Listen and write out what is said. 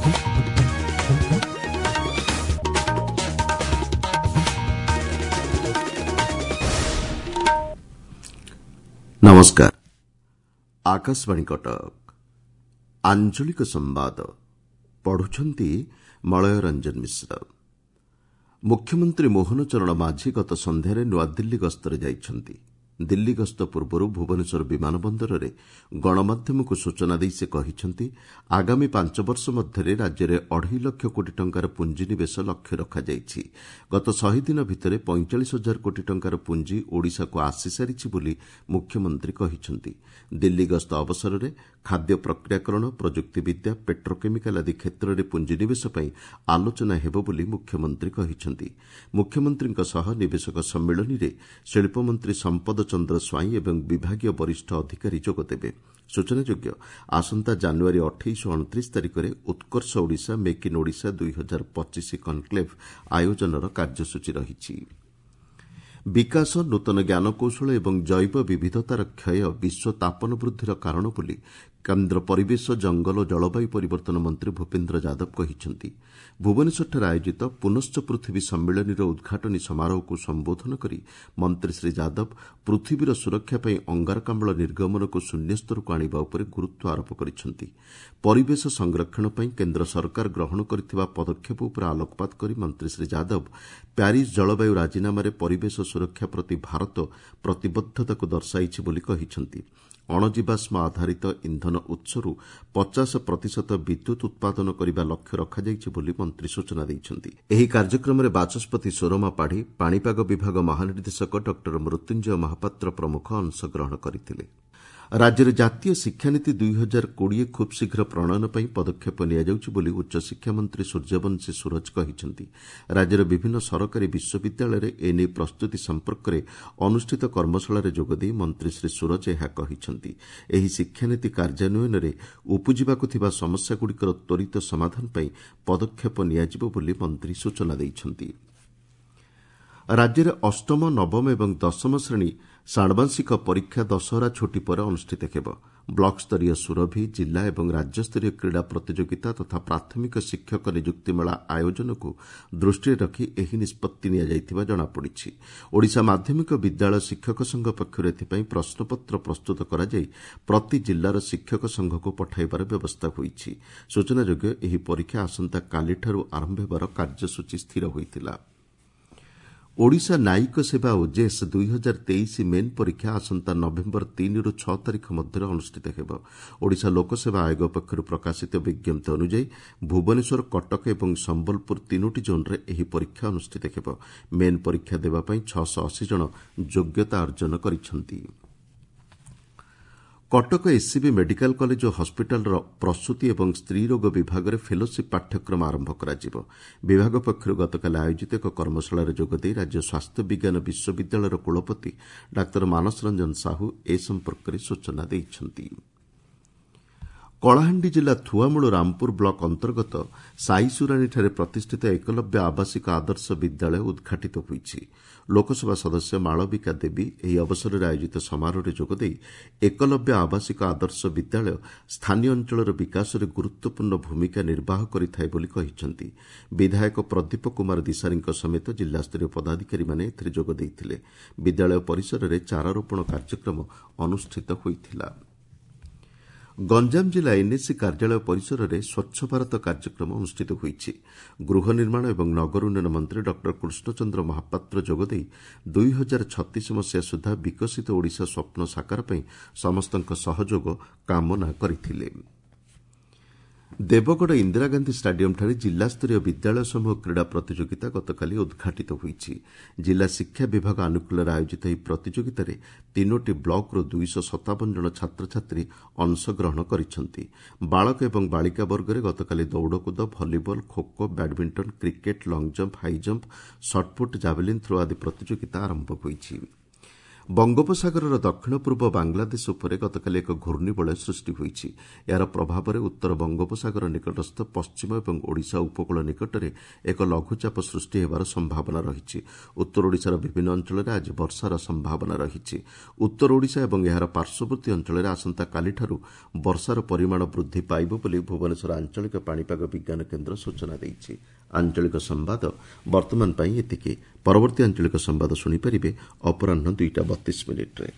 ନମସ୍କାର, ଆକାଶବାଣୀ କଟକ। ଆଞ୍ଚଳିକ ସମ୍ବାଦ ପଢୁଛନ୍ତି ମଳୟ ରଞ୍ଜନ ମିଶ୍ର। ମୁଖ୍ୟମନ୍ତ୍ରୀ ମୋହନ ଚରଣ ମାଝୀ ଗତ ସନ୍ଧ୍ୟାରେ ନୂଆଦିଲ୍ଲୀ ଗସ୍ତରେ ଯାଇଛନ୍ତି। ଦିଲ୍ଲୀ ଗସ୍ତ ପୂର୍ବରୁ ଭୁବନେଶ୍ୱର ବିମାନ ବନ୍ଦରରେ ଗଣମାଧ୍ୟମକୁ ସୂଚନା ଦେଇ ସେ କହିଛନ୍ତି, ଆଗାମୀ 5 ବର୍ଷ ମଧ୍ୟରେ ରାଜ୍ୟରେ ଅଢ଼େଇ ଲକ୍ଷ କୋଟି ଟଙ୍କାର ପୁଞ୍ଜିନିବେଶ ଲକ୍ଷ୍ୟ ରଖାଯାଇଛି। ଗତ 100 ଦିନ ଭିତରେ 45 ହଜାର କୋଟି ଟଙ୍କାର ପୁଞ୍ଜି ଓଡ଼ିଶାକୁ ଆସିସାରିଛି ବୋଲି ମୁଖ୍ୟମନ୍ତ୍ରୀ କହିଛନ୍ତି। ଦିଲ୍ଲୀ ଗସ୍ତ ଅବସରରେ ଖାଦ୍ୟ ପ୍ରକ୍ରିୟାକରଣ, ପ୍ରଯୁକ୍ତିବିଦ୍ୟା, ପେଟ୍ରୋକେମିକାଲ ଆଦି କ୍ଷେତ୍ରରେ ପୁଞ୍ଜିନିବେଶ ପାଇଁ ଆଲୋଚନା ହେବ ବୋଲି ମୁଖ୍ୟମନ୍ତ୍ରୀ କହିଛନ୍ତି। ମୁଖ୍ୟମନ୍ତ୍ରୀଙ୍କ ସହ ନିବେଶକ ସମ୍ମିଳନୀରେ ଶିଳ୍ପମନ୍ତ୍ରୀ ସମ୍ପଦ ଚନ୍ଦ୍ର ସ୍ୱାଇଁ ଏବଂ ବିଭାଗୀୟ ବରିଷ୍ଠ ଅଧିକାରୀ ଯୋଗଦେବେ। ସୂଚନାଯୋଗ୍ୟ, ଆସନ୍ତା ଜାନୁଆରୀ 28 ଓ 29 ତାରିଖରେ Utkarsh Odisha make in Odisha 2025 conclave ଆୟୋଜନର କାର୍ଯ୍ୟସୂଚୀ ରହିଛି। ବିକାଶ, ନୂତନ ଜ୍ଞାନକୌଶଳ ଏବଂ ଜୈବ ବିବିଧତାର କ୍ଷୟ ବିଶ୍ୱ ତାପନ ବୃଦ୍ଧିର କାରଣ ବୋଲି କେନ୍ଦ୍ର ପରିବେଶ, ଜଙ୍ଗଲ ଓ ଜଳବାୟୁ ପରିବର୍ତ୍ତନ ମନ୍ତ୍ରୀ ଭୂପେନ୍ଦ୍ର ଯାଦବ କହିଛନ୍ତି। ଭୁବନେଶ୍ୱରଠାରେ ଆୟୋଜିତ ପୁନଶ୍ଚ ପୃଥିବୀ ସମ୍ମିଳନୀର ଉଦ୍ଘାଟନୀ ସମାରୋହକୁ ସମ୍ବୋଧନ କରି ମନ୍ତ୍ରୀ ଶ୍ରୀ ଯାଦବ ପୃଥିବୀର ସୁରକ୍ଷା ପାଇଁ ଅଙ୍ଗାରକାମ୍ଳ ନିର୍ଗମନକୁ ଶୂନ୍ୟସ୍ତରକୁ ଆଣିବା ଉପରେ ଗୁରୁତ୍ୱ ଆରୋପ କରିଛନ୍ତି। ପରିବେଶ ସଂରକ୍ଷଣ ପାଇଁ କେନ୍ଦ୍ର ସରକାର ଗ୍ରହଣ କରିଥିବା ପଦକ୍ଷେପ ଉପରେ ଆଲୋକପାତ କରି ମନ୍ତ୍ରୀ ଶ୍ରୀ ଯାଦବ ପ୍ୟାରିସ୍ ଜଳବାୟୁ ରାଜିନାମାରେ ପରିବେଶ ସୁରକ୍ଷା ପ୍ରତି ଭାରତ ପ୍ରତିବଦ୍ଧତାକୁ ଦର୍ଶାଇଛି ବୋଲି କହିଛନ୍ତି। ଅଣଜୀବାଶ୍ମ ଆଧାରିତ ଇନ୍ଧନ ଉତ୍ସରୁ 50 ପ୍ରତିଶତ ବିଦ୍ୟୁତ୍ ଉତ୍ପାଦନ କରିବା ଲକ୍ଷ୍ୟ ରଖାଯାଇଛି ବୋଲି ମନ୍ତ୍ରୀ ସୂଚନା ଦେଇଛନ୍ତି। ଏହି କାର୍ଯ୍ୟକ୍ରମରେ ବାଚସ୍ପତି ସୁରମା ପାଢ଼ୀ, ପାଣିପାଗ ବିଭାଗ ମହାନିର୍ଦ୍ଦେଶକ ଡକ୍ଟର ମୃତ୍ୟୁଞ୍ଜୟ ମହାପାତ୍ର ପ୍ରମୁଖ ଅଂଶଗ୍ରହଣ କରିଥିଲେ। ରାଜ୍ୟରେ ଜାତୀୟ ଶିକ୍ଷାନୀତି 2020 ଖୁବ୍ ଶୀଘ୍ର ପ୍ରଣୟନ ପାଇଁ ପଦକ୍ଷେପ ନିଆଯାଉଛି ବୋଲି ଉଚ୍ଚଶିକ୍ଷା ମନ୍ତ୍ରୀ ସୂର୍ଯ୍ୟବଂଶୀ ସୂରଜ କହିଛନ୍ତି। ରାଜ୍ୟର ବିଭିନ୍ନ ସରକାରୀ ବିଶ୍ୱବିଦ୍ୟାଳୟରେ ଏନେଇ ପ୍ରସ୍ତୁତି ସମ୍ପର୍କରେ ଅନୁଷ୍ଠିତ କର୍ମଶାଳାରେ ଯୋଗଦେଇ ମନ୍ତ୍ରୀ ଶ୍ରୀ ସୂରଜ ଏହା କହିଛନ୍ତି। ଏହି ଶିକ୍ଷାନୀତି କାର୍ଯ୍ୟାନ୍ୱୟନରେ ଉପୁଜିବାକୁ ଥିବା ସମସ୍ୟାଗୁଡ଼ିକର ତ୍ୱରିତ ସମାଧାନ ପାଇଁ ପଦକ୍ଷେପ ନିଆଯିବ ବୋଲି ମନ୍ତ୍ରୀ ସୂଚନା ଦେଇଛନ୍ତି। ରାଜ୍ୟରେ ଅଷ୍ଟମ, ନବମ ଏବଂ ଦଶମ ଶ୍ରେଣୀ ଷାଣ୍ମାସିକ ପରୀକ୍ଷା ଦଶହରା ଛୁଟି ପରେ ଅନୁଷ୍ଠିତ ହେବ। ବ୍ଲକସ୍ତରୀୟ ସୁରଭି, ଜିଲ୍ଲା ଏବଂ ରାଜ୍ୟସ୍ତରୀୟ କ୍ରୀଡ଼ା ପ୍ରତିଯୋଗିତା ତଥା ପ୍ରାଥମିକ ଶିକ୍ଷକ ନିଯୁକ୍ତି ମେଳା ଆୟୋଜନକୁ ଦୃଷ୍ଟିରେ ରଖି ଏହି ନିଷ୍ପତ୍ତି ନିଆଯାଇଥିବା ଜଣାପଡ଼ିଛି। ଓଡ଼ିଶା ମାଧ୍ୟମିକ ବିଦ୍ୟାଳୟ ଶିକ୍ଷକ ସଂଘ ପକ୍ଷରୁ ଏଥିପାଇଁ ପ୍ରଶ୍ନପତ୍ର ପ୍ରସ୍ତୁତ କରାଯାଇ ପ୍ରତି ଜିଲ୍ଲାର ଶିକ୍ଷକ ସଂଘକୁ ପଠାଇବାର ବ୍ୟବସ୍ଥା ହୋଇଛି। ସୂଚନାଯୋଗ୍ୟ, ଏହି ପରୀକ୍ଷା ଆସନ୍ତାକାଲିଠାରୁ ଆରମ୍ଭ ହେବାର କାର୍ଯ୍ୟସୂଚୀ ସ୍ଥିର ହୋଇଥିଲା। ଓଡ଼ିଶା ନ୍ୟାୟିକ ସେବା ଓଜେଏସ୍ 2023 ମେନ୍ ପରୀକ୍ଷା ଆସନ୍ତା ନଭେମ୍ବର 3ରୁ 6 ତାରିଖ ମଧ୍ୟରେ ଅନୁଷ୍ଠିତ ହେବ। ଓଡ଼ିଶା ଲୋକସେବା ଆୟୋଗ ପକ୍ଷରୁ ପ୍ରକାଶିତ ବିଜ୍ଞପ୍ତି ଅନୁଯାୟୀ ଭୁବନେଶ୍ୱର, କଟକ ଏବଂ ସମ୍ବଲପୁର ତିନୋଟି ଜୋନ୍ରେ ଏହି ପରୀକ୍ଷା ଅନୁଷ୍ଠିତ ହେବ। ମେନ୍ ପରୀକ୍ଷା ଦେବା ପାଇଁ 680 ଜଣ ଯୋଗ୍ୟତା ଅର୍ଜନ କରିଛନ୍ତି। କଟକ ଏସ୍ସିବି ମେଡିକାଲ କଲେଜ ଓ ହସ୍ପିଟାଲର ପ୍ରସୂତି ଏବଂ ସ୍ତ୍ରୀରୋଗ ବିଭାଗରେ ଫେଲୋସିପ୍ ପାଠ୍ୟକ୍ରମ ଆରମ୍ଭ କରାଯିବ। ବିଭାଗ ପକ୍ଷରୁ ଗତକାଲି ଆୟୋଜିତ ଏକ କର୍ମଶାଳାରେ ଯୋଗଦେଇ ରାଜ୍ୟ ସ୍ୱାସ୍ଥ୍ୟ ବିଜ୍ଞାନ ବିଶ୍ୱବିଦ୍ୟାଳୟର କୁଳପତି ଡାକ୍ତର ମାନସ ରଞ୍ଜନ ସାହୁ ଏ ସମ୍ପର୍କରେ ସୂଚନା ଦେଇଛନ୍ତି। କଳାହାଣ୍ଡି ଜିଲ୍ଲା ଥୁଆମୂଳ ରାମପୁର ବ୍ଲକ ଅନ୍ତର୍ଗତ ସାଇସୁରାଣୀଠାରେ ପ୍ରତିଷ୍ଠିତ ଏକଲବ୍ୟ ଆବାସିକ ଆଦର୍ଶ ବିଦ୍ୟାଳୟ ଉଦ୍ଘାଟିତ ହୋଇଛି। ଲୋକସଭା ସଦସ୍ୟ ମାଳବିକା ଦେବୀ ଏହି ଅବସରରେ ଆୟୋଜିତ ସମାରୋହରେ ଯୋଗଦେଇ ଏକଲବ୍ୟ ଆବାସିକ ଆଦର୍ଶ ବିଦ୍ୟାଳୟ ସ୍ଥାନୀୟ ଅଞ୍ଚଳର ବିକାଶରେ ଗୁରୁତ୍ୱପୂର୍ଣ୍ଣ ଭୂମିକା ନିର୍ବାହ କରିଥାଏ ବୋଲି କହିଛନ୍ତି। ବିଧାୟକ ପ୍ରଦୀପ କୁମାର ଦିଶାରୀଙ୍କ ସମେତ ଜିଲ୍ଲାସ୍ତରୀୟ ପଦାଧିକାରୀମାନେ ଏଥିରେ ଯୋଗ ଦେଇଥିଲେ। ବିଦ୍ୟାଳୟ ପରିସରରେ ଚାରାରୋପଣ କାର୍ଯ୍ୟକ୍ରମ ଅନୁଷ୍ଠିତ ହୋଇଥିଲା। ଗଞ୍ଜାମ ଜିଲ୍ଲା ଏନ୍ଏସି କାର୍ଯ୍ୟାଳୟ ପରିସରରେ ସ୍ୱଚ୍ଛ ଭାରତ କାର୍ଯ୍ୟକ୍ରମ ଅନୁଷ୍ଠିତ ହୋଇଛି। ଗୃହ ନିର୍ମାଣ ଏବଂ ନଗର ଉନ୍ନୟନ ମନ୍ତ୍ରୀ ଡକ୍ଟର କୃଷ୍ଣଚନ୍ଦ୍ର ମହାପାତ୍ର ଯୋଗଦେଇ 2036 ମସିହା ସୁଦ୍ଧା ବିକଶିତ ଓଡ଼ିଶା ସ୍ୱପ୍ନ ସାକାର ପାଇଁ ସମସ୍ତଙ୍କ ସହଯୋଗ କାମନା କରିଥିଲେ। ଦେବଗଡ଼ ଇନ୍ଦିରାଗାନ୍ଧୀ ଷ୍ଟାଡିୟମ୍ଠାରେ ଜିଲ୍ଲାସ୍ତରୀୟ ବିଦ୍ୟାଳୟ ସମୂହ କ୍ରୀଡ଼ା ପ୍ରତିଯୋଗିତା ଗତକାଲି ଉଦ୍ଘାଟିତ ହୋଇଛି। ଜିଲ୍ଲା ଶିକ୍ଷା ବିଭାଗ ଆନୁକୂଲ୍ୟରେ ଆୟୋଜିତ ଏହି ପ୍ରତିଯୋଗିତାରେ ତିନୋଟି ବ୍ଲକରୁ 257 ଜଣ ଛାତ୍ରଛାତ୍ରୀ ଅଂଶଗ୍ରହଣ କରିଛନ୍ତି। ବାଳକ ଏବଂ ବାଳିକା ବର୍ଗରେ ଗତକାଲି ଦୌଡ଼କୁଦ, volleyball, kho kho, badminton, cricket, long jump, high jump, shot put, javelin throw ଆଦି ପ୍ରତିଯୋଗିତା ଆରମ୍ଭ ହୋଇଛି। ବଙ୍ଗୋପସାଗରର ଦକ୍ଷିଣ ପୂର୍ବ ବାଂଲାଦେଶ ଉପରେ ଗତକାଲି ଏକ ଘୂର୍ଣ୍ଣିବଳୟ ସୃଷ୍ଟି ହୋଇଛି। ଏହାର ପ୍ରଭାବରେ ଉତ୍ତର ବଙ୍ଗୋପସାଗର ନିକଟସ୍ଥ ପଶ୍ଚିମ ଏବଂ ଓଡ଼ିଶା ଉପକୂଳ ନିକଟରେ ଏକ ଲଘୁଚାପ ସୃଷ୍ଟି ହେବାର ସମ୍ଭାବନା ରହିଛି। ଉତ୍ତର ଓଡ଼ିଶାର ବିଭିନ୍ନ ଅଞ୍ଚଳରେ ଆଜି ବର୍ଷାର ସମ୍ଭାବନା ରହିଛି। ଉତ୍ତର ଓଡ଼ିଶା ଏବଂ ଏହାର ପାର୍ଶ୍ୱବର୍ତ୍ତୀ ଅଞ୍ଚଳରେ ଆସନ୍ତାକାଲିଠାରୁ ବର୍ଷାର ପରିମାଣ ବୃଦ୍ଧି ପାଇବ ବୋଲି ଭୁବନେଶ୍ୱର ଆଞ୍ଚଳିକ ପାଣିପାଗ ବିଜ୍ଞାନ କେନ୍ଦ୍ର ସୂଚନା ଦେଇଛି। ଆଞ୍ଚଳିକ ସମ୍ବାଦ ବର୍ତ୍ତମାନ ପାଇଁ ଏତିକି। ପରବର୍ତ୍ତୀ ଆଞ୍ଚଳିକ ସମ୍ବାଦ ଶୁଣିପାରିବେ ଅପରାହ୍ନ 2ଟା 32 ମିନିଟ୍ରେ।